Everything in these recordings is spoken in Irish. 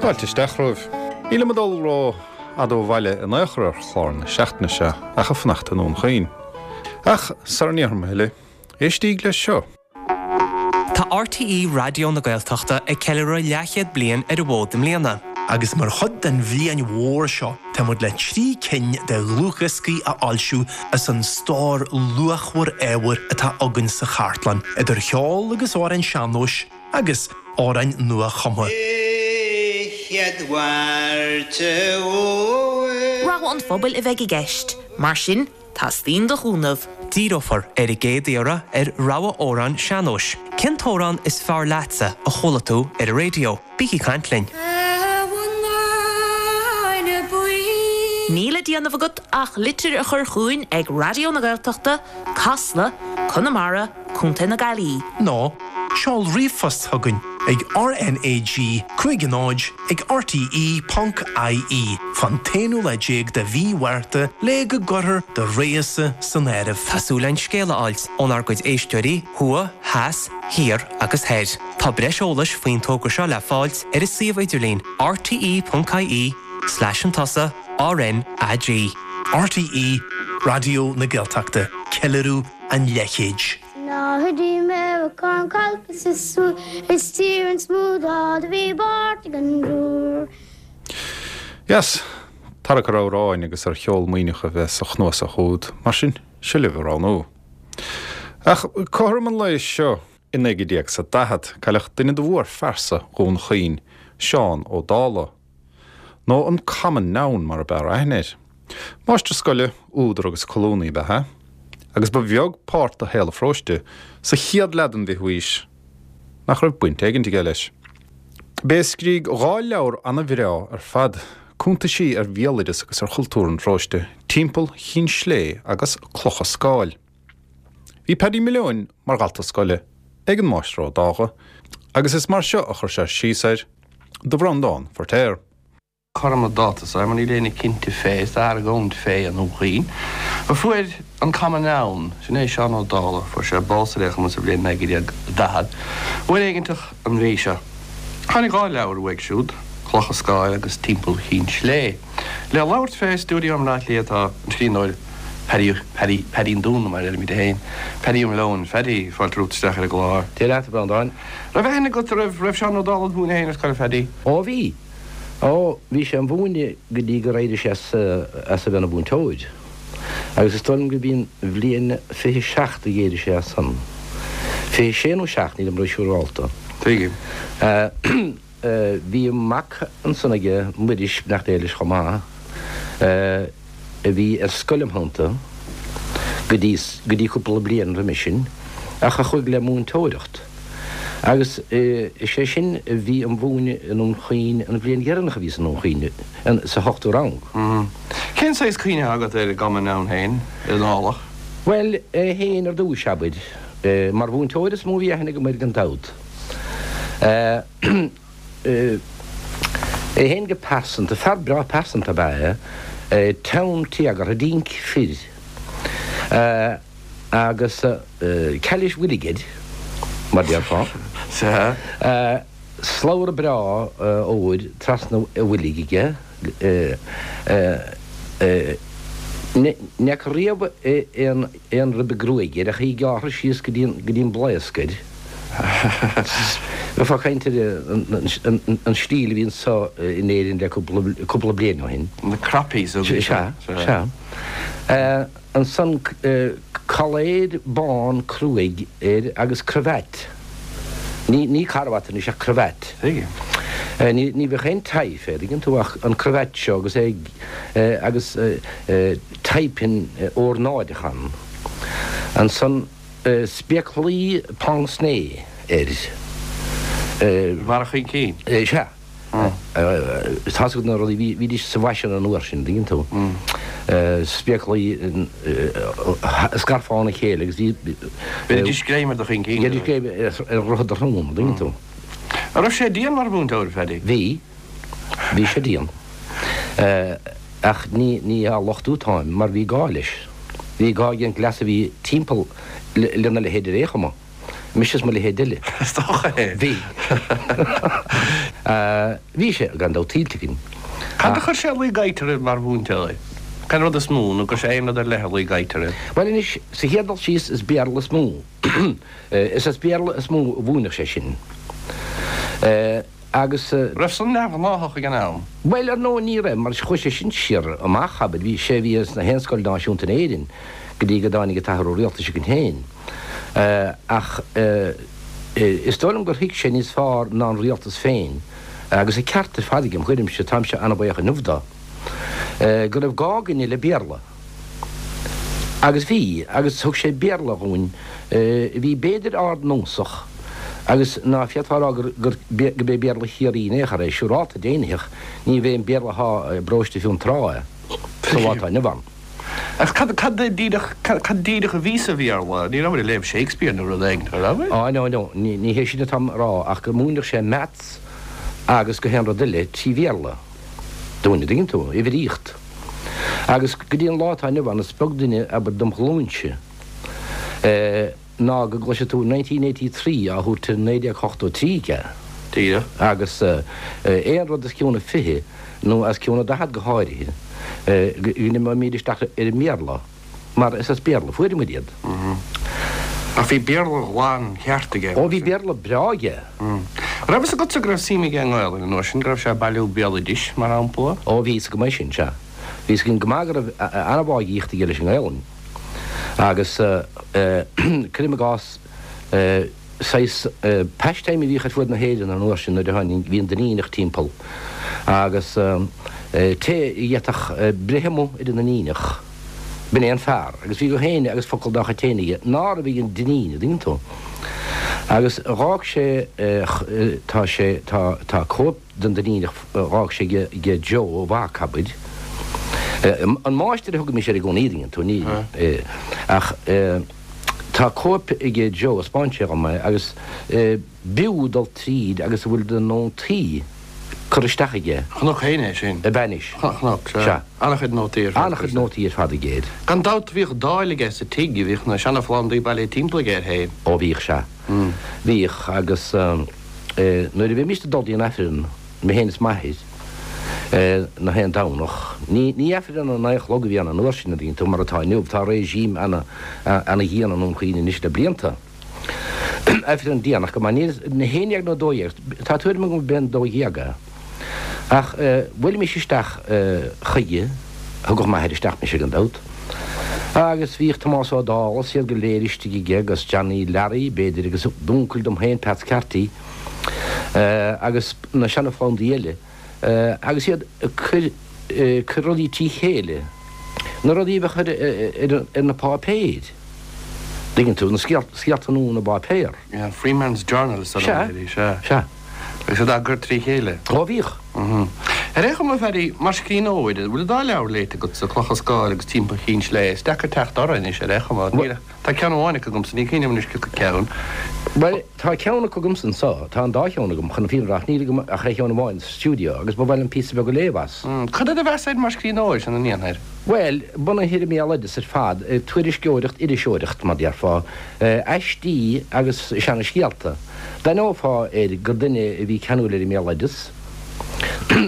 Fáilte isteach romhaibh. Nílim ag dul ró fhada ó bhaile in aon chor ar chlár na seachtaine seo ach ag fanacht i nDún Chaoin. Ach sara ndéarfaidh mé a thuilleadh, éistíg leis seo. Tá RTÉ Raidió na Gaeltachta ag ceiliúradh leathchéad bliain ar an bhfód i mbliana. Agus mar chuid den bhliain mhór seo, tá muid le 3 cinn de dhlúthdhioscaí a fhoilsiú as an stór luachmhar ábhair atá againn sa chartlann, idir cheol agus amhráin sean-nóis agus amhráin nua-chumtha. Rogha an phobail a bheidh i gceist, mar sin Teastaíonn do chúnamh. Díreofar ar an gcéad iarraidh ar rogha amhrán sean-nóis. Cén t-amhrán is fearr leatsa a chuala tú ar an raidió? Bígí ag caint linn! Níl le déanamh agat ach litir a chur chugainn ag Raidió na Gaeltachta, Casla, Conamara, Co. na Gaillimhe. Nó seol ríomhphost chugainn ag RnaG 50 ag rte ponc ie fán t-aonú lá déag de mhí Mhárta le go gcuirfear do rogha-sa san áireamh. Tá súil againn scéal a fháilt ónár gcuid éisteoirí, thuaidh, theas, thiar agus thoir. Tá breis eolais faoin togra seo le fáilt ar an suíomh idirlín rte ponc ie slash an tusa RnaG. RTÉ Raidió na Gaeltachta, ceiliúradh an leathchéid. Yes, tarrac ar amhráin agus ar cheol Muimhneach a bheas sa chnuasach úd, mar sin, seo libh a roghnú. Ach cothrom an lae seo i 1940, cailleadh duine de mhórphearsa Dhún Chaoin, Seán Ó Dálaigh. Nó an Common Noun mar ab fhearr aithne air. Máistir scoile, údar agus colúnaí ab ea é, agus ba bheag páirt de shaol an pharóiste sa chéad leath den bhfichiú haois nach raibh baint éigint aige leis. B'é a scrígh dhá leabhar ana-bhreá ar fad, cuntaisí ar bhéaloideas agus ar chultúr an pharóiste, Timpeall Chinn Slé agus Clocha Scáil. Bhí Paddy Mhill Eoin mar dhalta scoile ag an Máistir Ó Dálaigh agus is mar seo a chuir sé síos air do Bhreandán Feiritéar. Cothrom le dáta so, mar níl éinne cinnte fé, is argóint fé i nDún Chaoin, a fuair an Common Noun, sin é Seán Ó Dálaigh, fuair sé bás ar aon chuma sa bhliain 1940, uair éiginteach an mhí seo. Tháinig dhá leabhar uaidh siúd, Clocha Scáil agus Timpeall Chinn Slé. Le labhairt fé i stiúideo i mBleá Cliath tá an scríbhneoir Paddy, Paddy, Paddy an Dúna mar a deirimid féin, Paddy Ó Miolleoin. Phaddy, fáilte romhat isteach ar an gclár. Dia leat, a Bhreandáin. Raibh aithne agat, raibh, raibh Seán Ó Dálaigh id mhúineadh féin ar scoil, a Phaddy? Ó bhí. Ó, bhí sé im mhúineadh go dtí gur éirigh sé as, as a bheith ina mhúinteoir. Agus is dóigh liom gurb í an bhliain 27 a d'éirigh sé as san. 26 nó 7, nílim ró-siúrálta. Tuigim. Bhí mac ansan aige, Muiris, beannacht Dé leis chomh maith, a bhí ar scoil im theannta go dtí, go dtí cúpla bliain roimis sin, ach a chuaigh le múinteoireacht. Agus is é sin a bhí im mhúineadh i nDún Chaoin an bhliain dheireanach a bhíos i nDún Chaoin, sa hochtú rang. Cén saghas cuimhne atá agat ar an gCommon Noun féin, ar an nDálach? Bhuel, é féin ar dtúis, abair. Mar mhúinteoir is mó a bhí aithne agam air gan dabht. É féin go pearsanta, fear breá pearsanta ab ea é, teann téagartha, dinc fir, agus cailís bhoilg air, mar déarfá. Slabhra breá óir trasna a bhoilg aige. Ní fhaca riamh aon ribe gruaige air ach í gearrtha síos go dtí an mblaosc air. Bheifeá ag caint ar an stíl a bhí anso in Éirinn le cúpla bliain ó shin. Na croppies a bhí. Sea, sea. Ansan coiléar bán cruaidh air agus cravat. Ní, ní carbhat anois ach cravat. Tuigim. Ní, ní bheadh aon tie fé, tuigeann tú, ach an cravat seo agus é ag, agus tie pin ornáideach ann. Ansan spéaclaí pince nez air. Mar a chinn cinn. Sea. Tá's agat na rudaí, bhídís sa bhfaisean an uair sin, an dtuigeann tú. Spéaclaí a scarfá óna chéile agus bhí. Bheidís greim ar do chinn cinn. Bheidís greim ar dhroichead do shrón, an dtuigeann tú. An raibh sé dian mar mhúinteoir, Phaddy? Bhí. Bhí sé dian. Ach ní, ní á lochtú atáim, mar bhí gá leis. Bhí gá ag an gcleas a bhí timpeall lena leithéid ar aon chuma. Mise is mo leithéid eile. Is dócha é. Bhí. Bhí sé, gan dabht, tuillte againn. Cad a chuir sé a luí go air mar mhúinteoir? Cén rud is mó, nó go raibh sé aon rud ar leith a luí go air? Bhuel anois, sa chéad dul síos, is Béarla is mó. Is as Béarla is mó a mhúineadh sé sinn. Agus. Raibh san neamhghnáthach ag an am? Bhuel, ar ndóigh ní raibh, mar chuaigh sé sin siar amach, abair, bhí sé a bhí sna haon scoil náisiúnta in Éirinn go dtí go dtáinig an t-athrú rialtais againn féin. Ach is dóigh liom gur thuig sé níos fearr ná an rialtas féin, agus a ceart ar fad aige, im thuairimse, táimse an-bhaoch inniu dó, go raibh gá againne le Béarla. Agus bhí, agus thug sé Béarla dhúinn a bhí b'fhéidir ardnósach, agus ná féadfá a rá gur, gur, gurb é Béarla Chiarraí in aon chor é, siúrálta deimhnitheach, ní bhé an Béarla athá i bparóiste Fionntrá é, sa lá atá inniu ann. Ach cad, cad díreach, cad díreach a bhí sa Bhéarla? Ní rabhair ag léamh Shakespeare nó rud éigin, an rabhair? Á, no, no, ní, ní hé sin atáim a rá, ach go múineadh sé Maths agus gach aon rud eile trí Bhéarla dúinn, an dtuigeann tú, uimhríocht. Agus go dtí an lá atá inniu ann, is beag duine, abair, dem ghlúinse, ná go gcloisfidh tú 1983 á thabhairt ar 1983 aige. Díreach. Agus aon rud os cionn a 20, nó os cionn a 40 go háirithe, go n-imeoimid isteach ar an mBéarla. Mar is as Béarla a fuair muid iad. Ach bhí Béarla ghlan cheart aige. Ó bhí Béarla breá aige. An raibh fhios agatsa go raibh suim aige i nGaelainn an uair sin, go raibh sé ag bailiú béaloidis, mar shampla? Ó bhí fhios agam é sin, sea. Bhí fhios againn go maith go raibh an-bháidhíocht aige leis an nGaelainn. Agus cuirim i gcás, saghas pastime a bhíodh ar fuaid na hÉireann an uair sin nuair a tháinig, bhí an Duinníneach timpeall agus té a d'fhéadfadh breith amuigh ar an nDuinníneach, b'in é an fear agus bhí gach éinne agus focal dá chuid féin aige ná raibh ag an Duinníneach, an dtuigeann tú. Agus dh'fhág sé, tá sé, tá, tá cóip den Duinníneach dh'fhág sé ag Joe, a mhac, abair. An máistir a thugaimis air i gcónaí, an dtuigeann tú, ní, ach. Tá cóip aige Joe, thaispeáin sé dhom é, agus b'fhiú dul tríd agus a bhfuil de nótaí curtha isteach aige. Chonac féin é sin. Ab ea anois? Chonac, sea. Sea. An-chuid nótaí ar fad. An-chuid nótaí ar fad aige air. Gan dabht bhíodh dáil aige sa tigh, bhíodh na seana-phlandaí bailithe timpeall aige air féin. Ó bhíodh, sea. Bhíodh, agus nuair a bhímíst ag dul dtí an Aifreann, mé féin is m'athair, na haon Domhnach. Ní ní Aifreann a naoi a chlog a bhí ann an uair sin, an dtuigeann tú, mar atá inniu. Tá regime ana ana dhian i nDún Chaoin anois le blianta. Aifreann déanach go maith, ní na haon dhéag nó dó dhéag, tá tuairim agam gurb é an dó dhéag é. Ach bhuailimis isteach chuige, thugadh m'athair isteach mise gan dabht, agus bhíodh Tomás Ó Dálaigh is iad go léir istigh aige agus Johnny Learaí, b'fhéidir, agus d'uncail dom féin, Peats Carty. agus na seana-phlandaí eile agus iad ag cur cur rudaí trí chéile, na rudaí a bheadh ar ar na páipéir, dtuigeann tú, na scéalta nua na bpáipéar. Yeah, Freeman's Journal is Sea, sea. Sea. Agus iad á gcur trí chéile. Ó, bhíodh. Ar aon chuma, a Phaddy, mar scríbhneoir, an bhfuil an dá leabhar léite agatsa, Clocha Scáil agus Timpeall Chinn Sléibhe? Is deacair teacht orthu anois, ar aon chuma. Níl ach. Tá ceann amháin acu agamsa, ní cuimhin liom anois cé acu ceann. Bhuel, tá ceann acu agamsa anseo, tá an dá cheann agam, chun na fírinne a rá, ach níl agam ach aon cheann amháin sa stiúideo agus ba mhaith liom píosa beag a léamh as. Cad é do mheas air mar scríbhneoir, sin an ndéanfair? Bhuel, bunaithe ar an mbéaloideas ar fad, tuairisceoireacht, iriseoireacht, mar déarfá, aistí agus seana-scéalta. D'aithneofá air gur duine a bhí ceanúil ar an mbéaloideas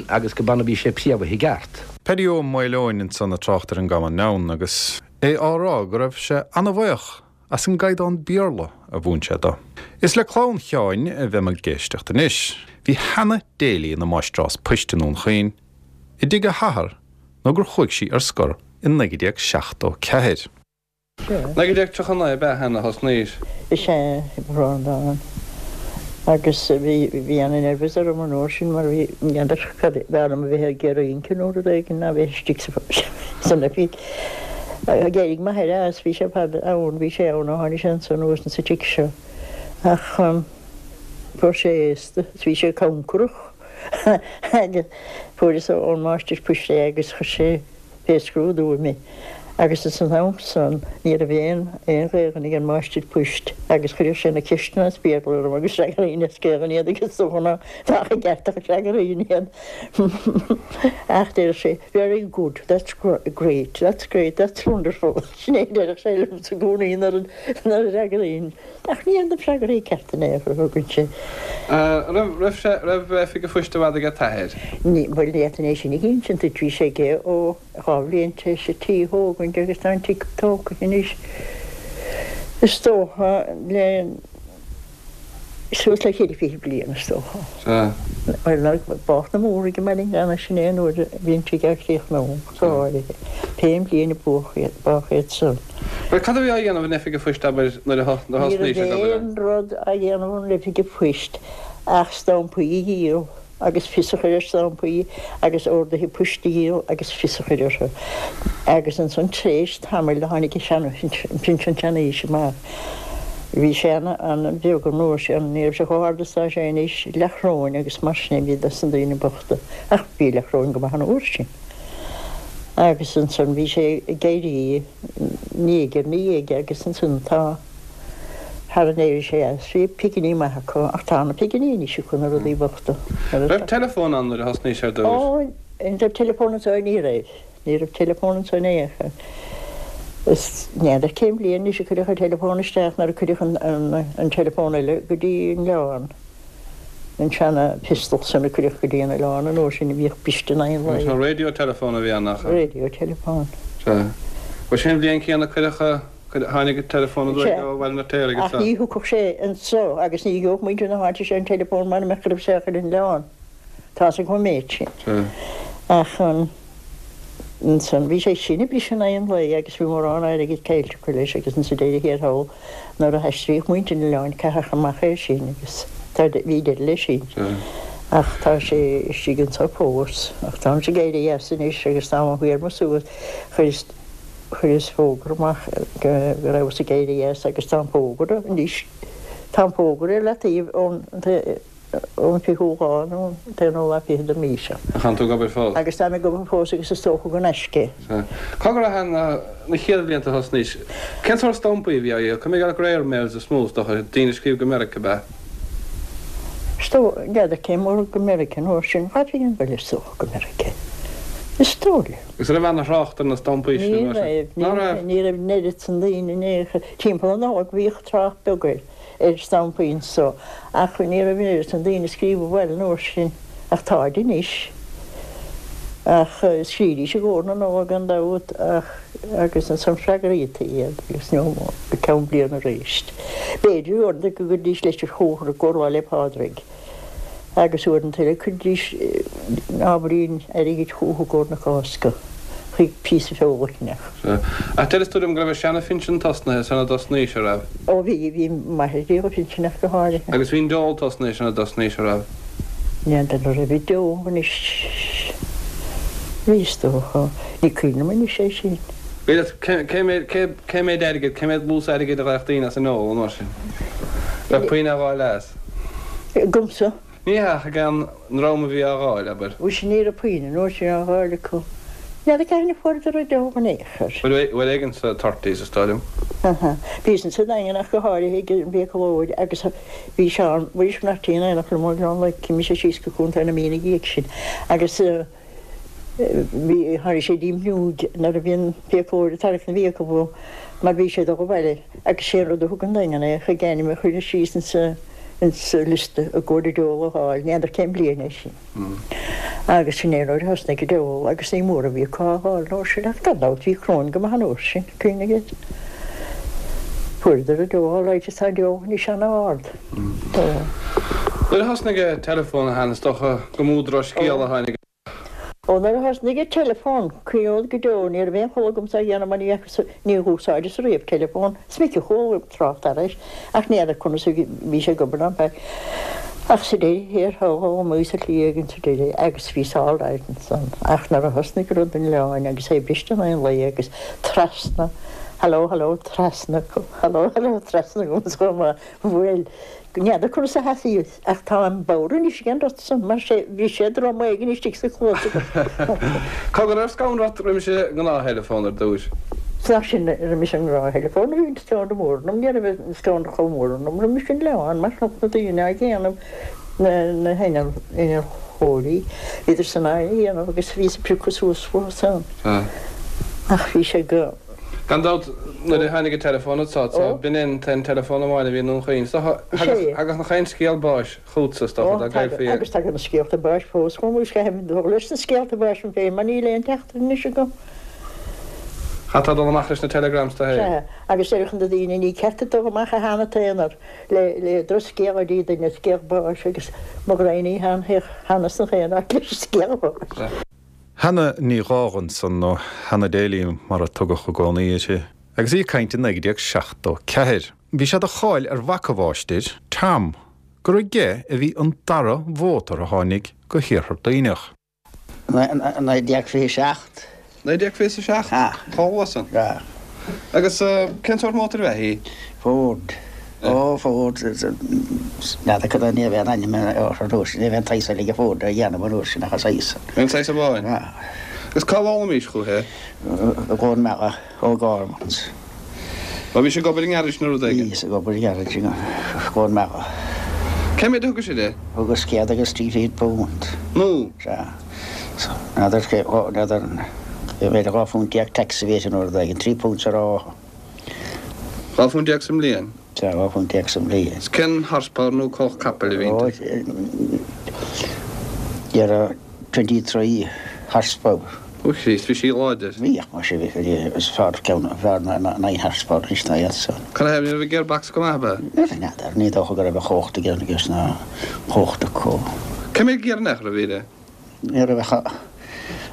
agus go b'ann a bhí sé préamhaithe i gceart. Paddy Ó Maoileoin ansan ag trácht ar an gCamán Leamhan agus. É á rá go raibh sé ana-bhaoch as an gcaighdeán Béarla a mhúin sé dó. Is le clann Sheáin a bheidh muid ag éisteacht anois. Bhí Hannah Daly ina máistreás poist i nDún Chaoin i dtigh a hathar nó gur chuaigh sí ar scor i 1974. 1939 ab ea Hannah thosnaís? Is ea, i mBrandán. Agus bhí, bhí ana-nervous orm an uair sin mar bhí, n'fheadar cad, b'fhearr liom a bheith ag rince nó rud éigin ná bheith istigh sa, san oifig. D'éirigh m'athair as, bhí sé fada ann, bhí sé ann ó tháinig sé anso anuas insa tigh seo. Ach fuair sé aosta is bhí sé cancarach agus fuaireas ón máistir poist é agus chuir sé fé scrúdú mé. Agus ins an am san ní raibh aon aon Ghaelainn ag an máistir poist agus chuireadh sé na ceisteanna as Béarla orm agus fhreagraínn as Gaelainn iad agus is dócha ná bheadh i gceart ach fhreagraínn iad. Ach deireadh sé, Very good, that's great, that's great, that's wonderful. Sin é a deireadh sé liomsa i gcónaí nuair a fhreagraínn. Ach ní na freagraí cearta in aon chor a thugann sé. Raibh raibh sé raibh oifig an phoist i bhfad ag a t-athair? Ní, bhuel ní fhéadfainn é sin a insint duit, bhí sé aige ó. 2 bhliain tar éis an tí a thógaint agus tá an tigh tógtha anois is dócha le suas le 24 bliain is dócha. Sea. Bhuel nuair a bádh na Múraigh i mBaile an Ghleanna sin é an uair a bhí an tigh á chríochnú go háirithe. Pé an bhliain a bádh iad san. Bhuel cad a bhí á dhéanamh in oifig an phoist abair nuair a thosnaís ag obair ann? Ní raibh aon rud á dhéanamh in oifig an phoist ach stampaí a dhíol. agus fios a chur ar stampaí agus orduithe poist a dhíol agus fios a chur orthu. Agus ansan tréis tamaill do tháinig an pinsean seanaoise amach. Bhí sé ana bheag an uair sin, ní raibh sé chomh hard is tá sé anois, leathchróin agus mar sin a bhí dos na daoine bochta, ach bhí leathchróin go maith an uair sin. Agus ansan bhí sé ag éirí ndiaidh ar ndiaidh agus ansan tá. Thar a n-éirigh sé as, bhí piginí maith acu, ach tá na piginí anois acu, na rudaí bochta. Raibh teileafón ann nuair a thosnaís ar dtús? Ó, an raibh teileafón anseo? Ní raibh. Ní raibh teileafón anseo in aon chor. Is n'fheadar cén bhliain anois a cuireadh an teileafón isteach, nuair a cuireadh an teileafón eile go dtí an oileán. An seana pistol san a cuireadh go dtí an oileán an uair sin a bhíodh briste in aghaidh an lae. An radio telephone a bhí ann, nach ea? Radio telephone. Sea. Bhuel, sin an bhliain chéanna a cuireadh. Tháinig an teileafón aduaidh ó Bhaile an Fheirtéaraigh Ach ní thiocfadh sé anso agus ní gheobhadh muintir na háite seo an teileafón mara mbeadh go raibh sé á chur ar an oileán. Tá's agam an méid sin. Ach ansan bhí sé sin ag briseadh in aghaidh an lae agus bhí mórán airgid caillte acu leis agus insa deireadh thiar thall nuair a haistríodh muintir an oileáin caitheadh amach é sin agus bhí deireadh leis sin. Ach tá sé istigh anso fós. Ach táimse ag éirí as anois agus táim á shuí ar mo suas. Chuireas. Chuireas fógra amach go rabhas ag éirí as agus tá an fógra anois, tá an fógra ar leataobh ón ón fichiú lá nó an t-aonú lá fichead den mhí seo. Ach tánn tú ag obair fós? Agus táim ag obair fós agus is dócha go n-aisce. Sea. Cá go raibh na chéad bhlianta a thosnaís? Cén sórt stampaí a bhí á dhíol? Cuimhnigh ar air mails is mó, is dócha, daoine ag scríobh go Meiriceá, ab ea? Is dóigh, n'fheadar cé mór go Meiriceá an uair sin, dhá phingin go leith is dócha go Meiriceá. Is dóigh liom. Agus an raibh ana-thrácht ar na stampaí sin Ní an uair sin? raibh, ní Ná raibh? Ní raibh an oiread san daoine in aon chor. Timpeall na Nollag bhíodh trácht beag ar, ar stampaí anso ach ní raibh an oiread san daoine ag scríobh abhaile an uair sin, ach táid anois. Ach scríobhaidís i gcomhair na Nollag gan dabht ach agus ansan freagraítí iad agus nó go ceann bliana aríst. B'fhéidir uaireanta go gcuiridís leitir chucu i gcomhair Lá 'le Pádraig. agus uaireanta eile chuiridís ábhairín airgid chucu i gcomhair na Cásca, chuig píosa feola a cheannach. Sea. Ach deir tú liom go raibh an seana-phinsean tosnaithe sara dtosnaís, a raibh? Ó bhí, bhí m'athair ag díol a phinsin ach go háirithe. Agus bhí an dole tosnaithe sara dtosnaís, a raibh? N'fheadar an raibh an dole anois. Bhí is dócha. Ní cuimhin liom anois é sin. Bhí, cé méid, cé, cé méid airgid, cé méid dlús airgid a gheibheadh daoine as an ndole an uair sin? Raibh puinn á dh'fháil as? Agamsa. Ní hea, ach ag an ndream a bhí á dh'fháil, abair. Mhuise ní raibh puinn an uair sin á dh'fháil acu. N'fheadar cathain a fuaireadar an dole in aon chor. Bhuel, uair éigin sa thirties, is dóigh liom. Aha. Bhíos insa Daingean ach go háirithe ag an bhfiaclóir agus bhí Seán Mhuiris Mairtín in éineacht liom ó Ghleann Leic, mise síos go Contae na Mí ina dhiaidh sin agus bhí, tháinig sé dtí m'fhuinneoig nuair a bhí an fiaclóir ag tarraingt na bhfiacal uaim mar bhí sé ag dul abhaile agus sé an rud a thug an Daingean é chuig ainm a chur síos insa insa liosta i gcomhair an dole a fháil, n'fheadar cén bliain é sin. Agus sin é an uair a thosnaigh an dole agus ní mór a bhí acu á fháil an uair sin ach gan dabht bhí cróin go maith an uair sin, cuimhnigh air. Fuaireadar an dole all right is tá an dole anois an-ard. Nuair a thosnaigh an teileafón a Sheáin, is dócha go mó drochscéal a tháinig. Ó nuair a thosnaigh an teileafón, cuimhneod go deo, ní raibh aon chol agamsa á dhéanamh mar ní fhacas, níor úsáideas riamh teileafón, is minic a chuala trácht air ach ní fheadar conas a bhí sé ag obair ná beag. Ach sa deireadh thiar thall d'fhoghlaimíos slí éigin sa deireadh agus bhíos all right ansan. Ach nuair a thosnaigh rud an oileáin agus é briste in aghaidh an lae agus trasna, haló haló trasna, haló haló trasna agam chomh maith, bhuel, n'fheadar conas a sheasaíos. Ach táim bodhar anois ag an rud san, mar sé, bhí sé drom éigin istigh sa chluas agam. Cogar, raibh scanradh ort roimis an ngnáth-theileafón ar dtúis? Nach sin roimis an ngnáth-theileafón a bhí an scanradh mór ionam, ní raibh an scanradh chomh mór ionam roimis sin le ann mar chonac na daoine á dhéanamh, na hinnealtóirí, bhíodar san á dhéanamh agus bhíos ag piocadh suas uathu san. Ach bhí sé go. Gan dabht, nuair a tháinig an teileafón anso, b'in é an t-aon teileafón amháin a bhí i nDún Chaoin. Is dócha, thagadh nach aon scéal báis chugatsa, is dócha, dá gcaillfí. Agus tagann na scéalta báis fós chugam agus caithim dul leis na scéalta báis féin mar níl aon teachtaireacht anois agam. Chaithfeá dul amach leis na telegrams tú féin. Sea, agus déarfadh na daoine, ní ceart duit dul amach a Sheáin le le drochscéal a dtí duine, scéal báis agus mo ghraidhin ní theannas nach aon áit leis an scéal báis. Hannah Ní Dhágh ansan, nó Hannah Daly mar a tugadh i gcónaí uirthi, agus í ag caint i 1974. Bhí sé de cháil ar mhac a mháistir, Tom, gur aige a bhí an dara mhótar a tháinig go hIarthar Duibhneach. 1927. 1927? Chomh luath san? Sea. Agus cén sórt mótair ab ea í? Ford. Ó, Ford. N'fheadar cad é, ní raibh aon ainm orthu an uair sin, ní raibh aon tsaghas eile de Ford á dhéanamh an uair sin ach an saghas san. An saghas amháin? Sea. Agus cá bhfoghlaimís chúithi é? I gCluain Meala, O'Gormans. Ó, bhís ag obair i ngearáiste nó rud éigin? Bhíos ag obair i ngearáiste i gCluain Meala. Cé mhéad a thugais air é? Thugas £103. Nó? Sea. N'fheadar cé, n'fheadar, b'fhéidir £12 phunt tax a bhí air nó rud éigin, £3 sa ráithe. £12 phunt sa mbliain? Sea, £12 phunt sa mbliain. Is cén horsepower nó cumhacht capaill a bhí inti? Ó, dhera 23 horsepower. Ó Chríost, bhí sí láidir. Bhí, ach más ea, bhí, is fearr ceann, fearr ná 9 horsepower anois ná iad san. Cad é, ní raibh an gearbox go maith, ab ea? Ní raibh, n'fheadar, ní dócha go raibh an chumhacht ag aon ages ná chumhacht acu. Cé mhéad giar in aon chor a bhí uirthi? Ní raibh ach,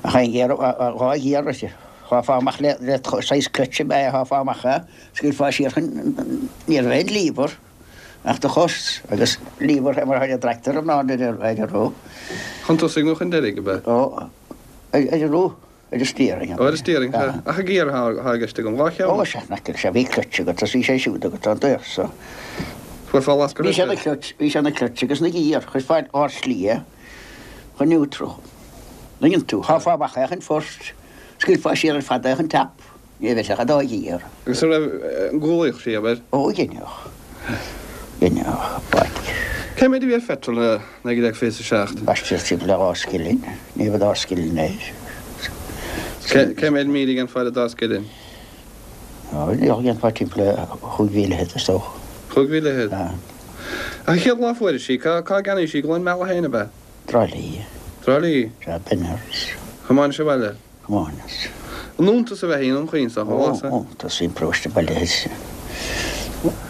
ach aon ghiar, dhá ghiar uirthi. Sháfá amach le, le saghas clutch ab ea é, sháfá amach é, scaoilfeá siar chun, ní raibh aon lever ach do chos agus lever mar atá ag tractor ná ar an roth. Chun tosaigh nó chun deiridh, ab ea? Ó. Ar an roth, ar an steering. Ó, ar an steering, sea. Ach an giar atá i gceist agam. Dhá cheann. Ó, sea, nach sea, bhí clutch agat agus bhí sé siúd agat an dtaobh so. Chuirfeá lasc Bhí sé ina clutch, bhí sé ina clutch agus ina ghiar, chuirfeá ár slí é chun neutral. Tuigeann tú, sháfá amach é chun first, scaoilfeá siar ar fad é chun top. Ní raibh ach an dá ghiar. Agus an raibh, an gcúlaíodh sí, abair? Ó, dheineadh. Dheineadh, baic. Cé mhéad a bhí ar phetrol i 1927? B'aisteach, timpeall ar dhá scilling. Ní raibh dá scilling air. Cé mhéad míle a dhéanfá ar an dá scilling? Ó, dhéanfá timpeall ar chúig mhíle fhichead, is dócha. Chúig mhíle fhichead? Sea. Ach an chéad lá a fuairis í, cá gceannaís í? I gCluain Meala féin, ab ea? Trá Lí. Trá Lí? Sea, Benners. Thiomáinis abhaile? Thiomáineas. An iontas ab ea í i nDún Chaoin san lá san? Ó, iontas, bhí an paróiste bailithe.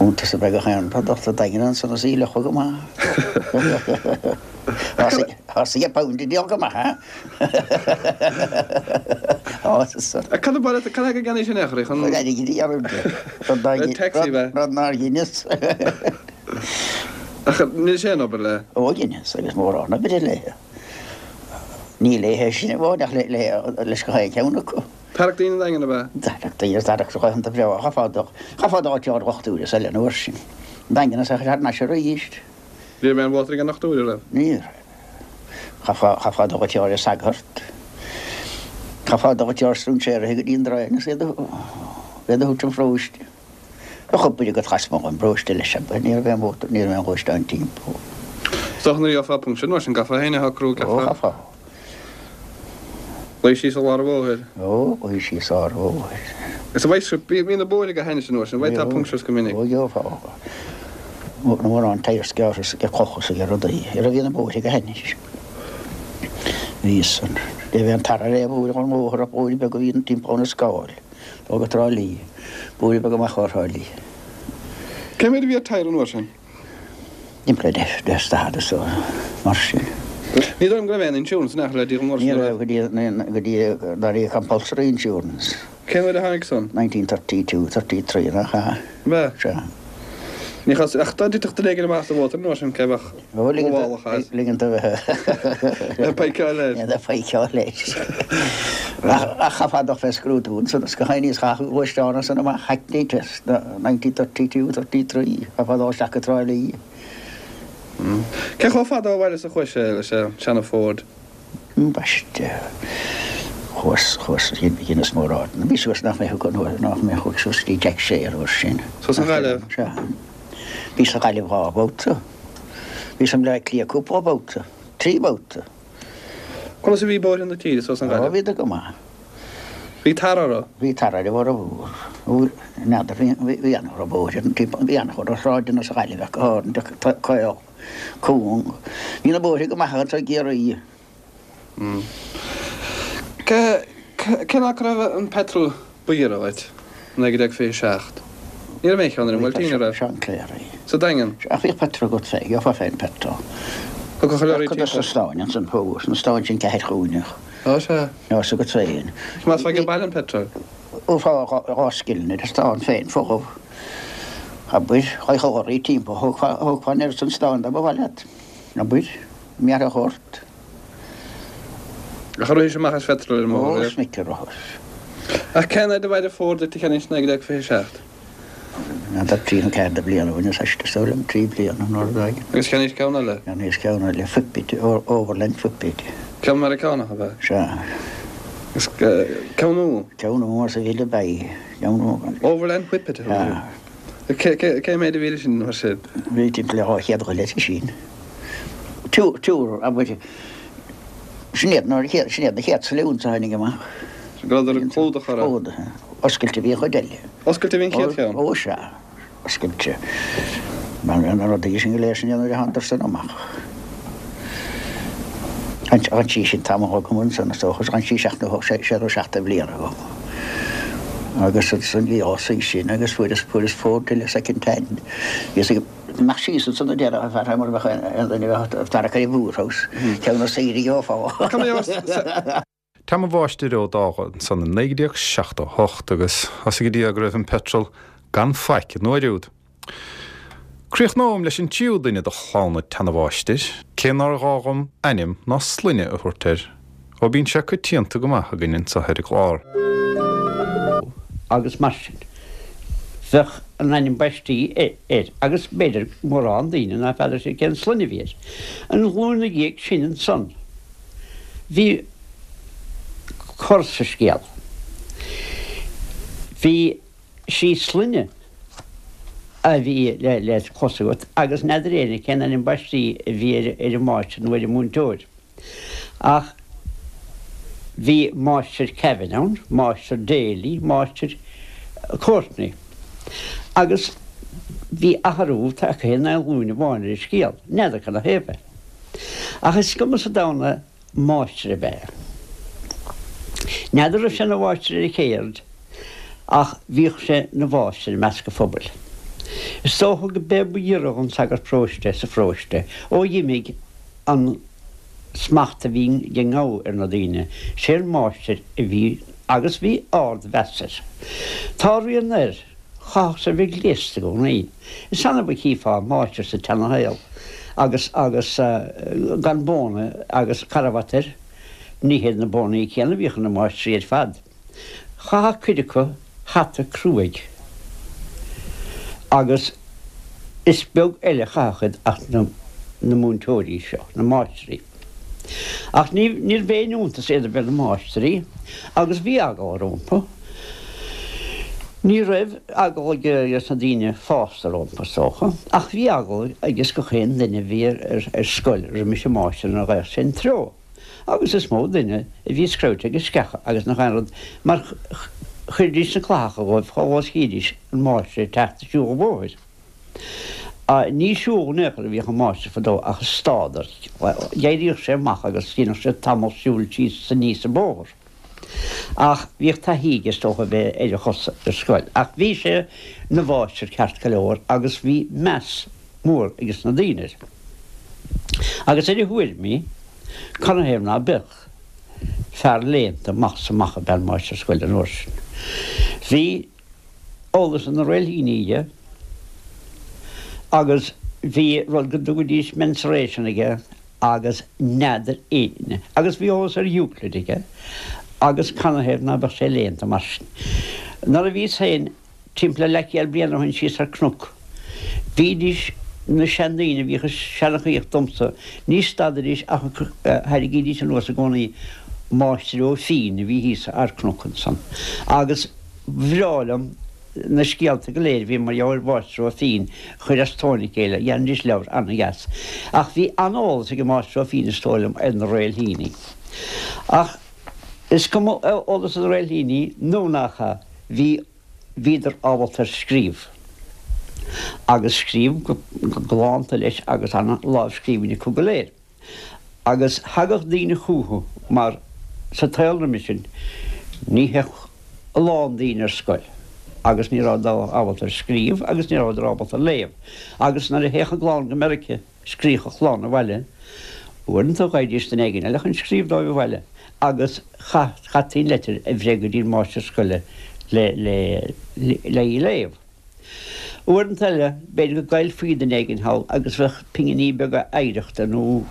Iontas ab ea gach aon rud ach tá daingean ansan is í fhliuchadh go maith. Thosaigh a pound a díol go maith, ha? Cad a ba cad é go gceannaís in aon chor í chun. Chun airgid a dhéanamh de. Rud nár Taxi, bheith. Rud nár dheineas. Ach níl sé in obair le. Ó, dheineas agus mórán oibre léi. Ní léithe sin amháin ach leis gach aon cheann acu. Tarrac daoine an Daingean ab ea? Tarrac daoine, tarrac laethanta breá. Chaithfeá dul, chaithfeá dul áit ar dhochtúir is eile an uair sin. An Daingean is ea thar n-ais arís. Ní raibh aon mhótar ag an ndochtúir, an raibh? Ní raibh. Chaithfeá, chaithfeá dul áit ar sagart. Chaithfeá dul áit ar strainséirithe go dtí an Daingean is iad a, iad a thabhairt chun pharóiste. Bheadh obair agat lasmuigh den bparóiste leis, abair, ní raibh aon mhótar, ní raibh aon ghluaisteán timpeall. Is dócha nuair a gheofá puncture mar sin, gcaithfeá féin a shocrú, Ó, gcaithfeá. chaithfeá. Luí síos i lár an bhóthair. Ó, luí síos i lár an bhóthair. Is a bheidh, bhí na bóithre go hainnis an uair sin, an bhfaighfeá punctures go minic. Ó, gheofá. Na mórán tyres gearrtha is ag clocha is ag rudaí. Ní raibh, bhí na bóithre go hainnis. Bhí san. Ní raibh aon tar ar aon bhóthar an bhóthar ach bóithre beaga a bhí timpeall na scáil. Ó go Trá Lí. Bóithre beaga amach ó Thrá Lí. Cé mhéad a bhí ar tyre an uair sin? Timpeall le deich is daichead is mar sin. Ní dóigh liom go raibh aon insurance in aon chor le díol an uair sin, Ní an raibh go dtí go dtí gur éirigh compulsory insurance. Cén uair a tháinig san? 1932, 33 nach ea? Ab ea? Sea. Ní chás, ach dá dtitfeadh duine éigin amach as an mhótar an uair sin, cé bheadh gabhálach as? Ligean do bheith. Le feiceáil air. Le feiceáil air. Ach chaithfeá dul fé scrúdú ansan is gach éinne is chaith gluaisteán ansan amach Hackney test 1932, 33, chaithfeá dul isteach go Trá Lí. Cé chomh fada ó bhaile is a chuaigh sé leis an seana Ford? Ambaiste. Chuas, chuas, dheineas mórán. Bhí suas nach mbeadh go, nach mbeadh chuaigh suas go dtí Jack Shea an uair sin. Suas an Ghaillimh? Sea. Bhíos sa Ghaillimh 2 bhabhta. Bhíos i mBleá Cliath cúpla babhta. 3 babhta. Conas a bhí bóithre na tíre suas an Ghaillimh? Ó, bhíodar go maith. Bhí tar orthu? Bhí tar ar a bhformhór. N'fheadar, bhí, bhí an-chuid bóithre, bhí an-chuid sráideanna sa Ghaillimh ach go háirithe, caol, cúng. Bhí na bóithre go maith anso i gCiarraí. Cén fáth go raibh an petrol ba ghiorra dhuit? 1927. Ní raibh aon cheann ar an mBuailtín, an raibh? Seán Cléirigh. Sa Daingean? Ach bhíodh petrol agat féin, gheofá féin petrol. Thug a chuile Cuid dos na stáin ansan fós, na stáin sin ceathairchúinneach. Á sea. Fhios agat féin. Más ag baile an petrol? Gheofá 2 scilling ar an stán féin, folamh. Abair, raghadh lorraí timpeall, thógfá an oiread san stáin dá mba mhaith leat. Abair, mearfadh ort. Ach ar rithis amach as phetrol ar an mbóthar Ó, is minic a ritheas. Ach cén fhaid a mhair an Ford duit a cheannaís 1927? N'fheadar, 3 nó 4 de bhliana ó shin, is aiste, is dóigh liom, 3 bliana nó rud éigin. Agus cheannaís ceann eile? Cheannaíos ceann eile, Whippet, Overland Whippet. Ceann Meiriceánach ab ea? Sea. Agus ceann nua? Ceann nua, sa bhile beidh. Ceann nua. Overland Whippet a thug Sea. Cé mhéad a bhí leis sin mar sin? Bhí timpeall le 200 dhuine leis sin. Túr, abair, sin iad na sin iad na chéad saloons a tháinig amach. Go rabhadar ag clúdach orthu. Clúdaithe. Oscailte a bhí an chuid eile. Oscailte a bhí an chéad cheann? Ó sea, oscailte. Mar na rudaí sin go léir sin nuair a thánadar san amach. D'fhan sí sin tamall agam ansan is dócha, d'fhan sí seacht nó sé nó seacht de bhliana agam. Agus ansan bhí á suí sin agus fuaireas fuaireas Ford eile second hand. Bhíos ag imeacht síos ansan a déarfá fear mar a bheadh aon duine a bheadh ag tarrac ar an bpoorhouse, ceann ar saoire gheofá. Team an Mháistir Ó Dálaigh ansan i 1978 agus tá 'fhios ag Dia go raibh an petrol gan faic an uair úd. Críochnóm leis an tríú duine de chlann an tseana-mháistir, cé nár ghá dhom ainm ná sloinne a thabhairt air, ó bíonn sé coitianta go maith againn anso ar an gclár. Agus mar sin, bheadh an ainm baistí air, agus b'fhéidir mórán daoine ná feadar siad cén sloinne a bhí air. An ghlúin 'na dhiaidh sin ansan, Bhí cor sa scéal. Bhí sí sloinne a bhí le clos agat agus n'fheadar éinne cén ainm baistí a bhí ar an máistir nó ar an múinteoir. Ach bhí Máistir Kevin ann, Máistir Daly, Máistir Courtney. Agus bhí athrú tagtha in aon ghlúin amháin ar an scéal. N'fheadar cad 'na thaobh é. Ach is cuma sa domhan é, máistir ab ea é. N'fheadar raibh sé ina mháistir ar a chéird, ach bhíodh sé ina mháistir i measc an phobail. Is dócha go b'é ba ghiorra dhon sagart paróiste sa pharóiste ó dh'imigh an smacht a bhí ag an ngabha ar na daoine, sé an máistir a bhí agus bhí ard-mheas air. Tá a rian air. Chaithfeadh sé a bheith gléasta i gcónaí. Is annamh a chífeá máistir sa tseanashaol agus agus gan bóna agus carbhat air. Ní hiad na bónaí céanna a bhíodh ar na máistrí ar fad. Chaitheadh cuid acu hata cruaidh agus is beag eile a chaitheadh iad ach na na múinteoirí seo, na máistrí. Ach ní níorbh aon iontas iad a bheith ina máistrí agus bhí eagla rompu. Ní raibh eagla ages na daoine fásta rompu, is dócha, ach bhí eagla ages gach aon duine a bhí ar scoil roimis an máistir nuair a ghabhadh sé ina treo. Agus is mó duine a bhí screabhte ag sceacha agus nach aon rud mar chuiridís na clathacha dhóibh chomh luath is chídís an máistir ag teacht ag siúl an bhóthair. Ní ag siúl in aon chor a bhíodh an máistir fadó ach ag stádadh. D'éiríodh sé amach agus dhéanadh sé tamall siúil síos is aníos an bóthar. Ach bhíodh taithí aige is dócha a bheith ar a chosa ar scoil. Ach bhí sé 'na mháistir ceart go leor agus bhí meas mór ages na daoine air. Agus ar a thuairimí, canathaobh ná beadh, fear léannta amach 's amach ab ea an máistir scoile an uair sin. Bhí. eolas ar na réilthíní aige agus bhí rud go dtugaidís mensuration aige agus n'fheadar éinne agus bhí eolas ar Euclid aige agus canathaobh ná beadh sé léannta mar sin. Nuair a bhíos féin timpeall le leathchéad bliain ó shin síos ar cnoc bhídís na seandaoine a bhíodh ag seanchaíocht domsa ní stadaidís ach thairrigídís anuas i gcónaí. Máistir Ó Fínn a bhí thíos sa Ardchnoc ansan agus bhreá liom na scéalta go léir a bhí mar gheall ar Mháistir Ó Fínn a chur as tóin a chéile, dhéanfaidís leabhar ana-dheas. Ach bhí an-eolas ag an Máistir Ó Fínn is dóigh liom ar na réilthíní. Ach is cuma eolas ar na réilthíní nó nach ea, bhí, bhíodar ábalta ar scríobh. Agus scríobh go galánta leis agus ana-lámhscríbhinn acu go léir. Agus thagadh daoine chúthu mar sa tsaol roimhe sin ní théadh a lán daoine ar scoil agus ní rabhadar ábalta ar scríobh agus ní rabhadar ábalta ar léamh. Agus nuair a théadh a gclann go Meirice scríobhadh a chlann abhaile. Uaireanta gheibhidís duine éigin eile chun scríobh dóibh abhaile agus chaití an leitir a bhreith go dtí an máistir scoile le le le í a léamh. Uaireanta eile, b'fhéidir go gcaillfí duine éigin thall agus bheadh pinginí beaga oidhreachta nó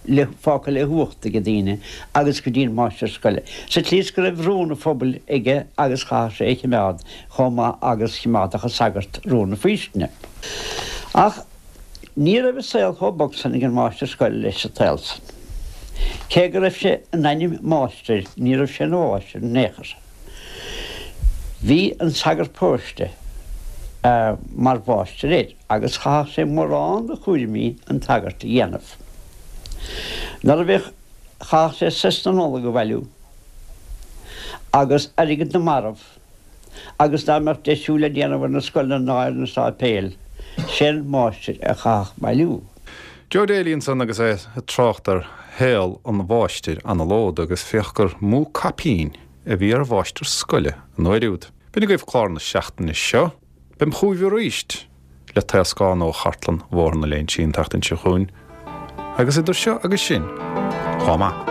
le fágtha le huacht ag daoine agus go dtí an máistir scoile. Sa tslí is go raibh rún an phobail aige agus chaithfeadh sé é a chimeád chomh maith agus chimeádfadh an sagart rún na faoistine. Ach ní raibh an saol chomh bog san ag an máistir scoile leis sa tsaol san. Cé go raibh sé in ainm máistir ní raibh sé ina mháistir in aon chor. Bhí an sagart paróiste mar mháistir air agus chaithfeadh sé mórán de chúraimí an tsagairt a dhéanamh. Nuair a bhíodh, chaithfeadh sé sos na Nollag a bhailiú agus airgead na marbh agus dá mbeadh deisiú le déanamh ar na scoileanna ná ar na sáipéil, sé an máistir a chaithfeadh bailiú. Joe Daly ansan agus é ag trácht ar shaol an mháistir anallód agus féach gur mó caipín a bhí ar mháistir scoile an uair úd. B'in agaibh clár na seachtaine seo. Beim chugaibh arís le taoscán ó chartlann Bhóthar na Léinsí an tseachtain seo chugainn agus idir seo agus sin, chomh maith.